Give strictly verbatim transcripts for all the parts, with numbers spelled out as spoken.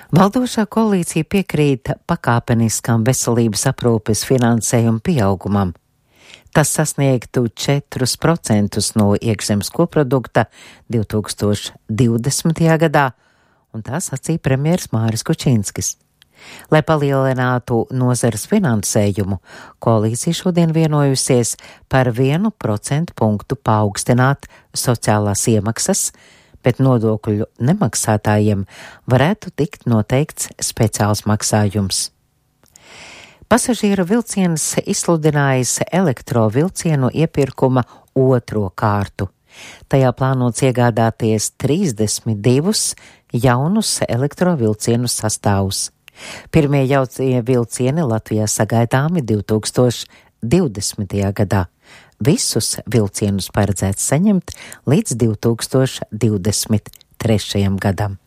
Valdošā koalīcija piekrīt pakāpeniskam veselības aprūpes finansējuma pieaugumam. Tas sasniegtu četrus procentus no iekšzemes koprodukta divi tūkstoši divdesmitajā gadā, un tā sacīja premjers Māris Kučinskis. Lai palielinātu nozares finansējumu, koalīcija šodien vienojusies par vienu procentu punktu paaugstināt sociālās iemaksas, bet nodokļu nemaksātājiem varētu tikt noteikts speciāls maksājums. Pasažieru vilciens izsludinājis elektrovilcienu iepirkuma otro kārtu. Tajā plānots iegādāties trīsdesmit divus jaunus elektrovilcienu sastāvus. Pirmie jaunie vilcieni Latvijā sagaidāmi divi tūkstoši divdesmitajā gadā. Visus vilcienus paredzēts saņemt līdz divi tūkstoši divdesmit trešajam gadam.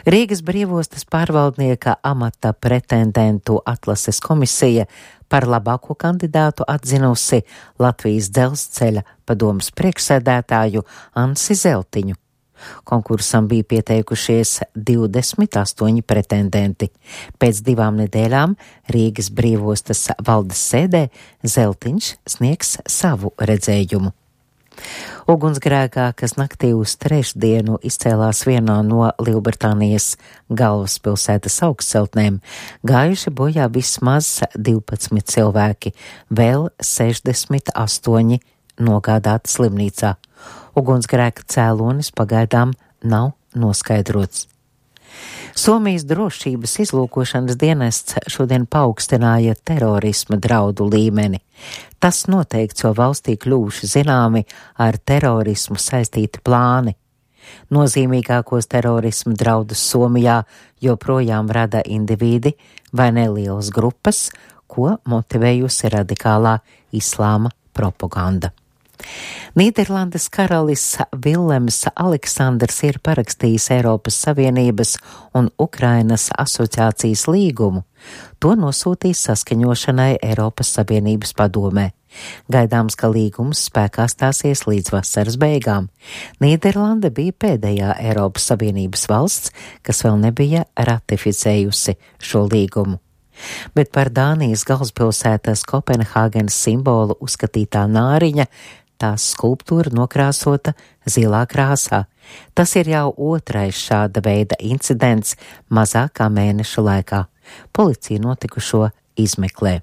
Rīgas brīvostas pārvaldnieka amata pretendentu atlases komisija par labāko kandidātu atzinusi Latvijas dzelzceļa padomes priekšsēdētāju Ansi Zeltiņu. Konkursam bija pieteikušies divdesmit astoņi pretendenti. Pēc divām nedēļām Rīgas brīvostas valdes sēdē Zeltiņš sniegs savu redzējumu. Ugunsgrēkā, kas naktī uz trešdienu izcēlās vienā no Lielbritānijas galvaspilsētas augstceltnēm, gājuši bojā vismaz divpadsmit cilvēki, vēl sešdesmit astoņi nogādāti slimnīcā. Ugunsgrēka cēlonis pagaidām nav noskaidrots. Somijas drošības izlūkošanas dienests šodien paaugstināja terorisma draudu līmeni. Tas noteikts, jo valstī kļuvuši zināmi ar terorismu saistīti plāni. Nozīmīgākos terorisma draudus Somijā joprojām rada indivīdi vai nelielas grupas, ko motivējusi radikālā islāma propaganda. Nīderlandes karalis Vilems Aleksandrs ir parakstījis Eiropas Savienības un Ukrainas asociācijas līgumu. To nosūtīs saskaņošanai Eiropas Savienības padomē. Gaidāms, ka līgums spēkā stāsies līdz vasaras beigām. Nīderlande bija pēdējā Eiropas Savienības valsts, kas vēl nebija ratificējusi šo līgumu. Bet par Dānijas galvaspilsētas Kopenhāgenes simbolu uzskatītā nāriņa, tās skulptūra nokrāsota zilā krāsā. Tas ir jau otrais šāda veida incidents mazāk kā mēneša laikā. Policija notikušo izmeklē.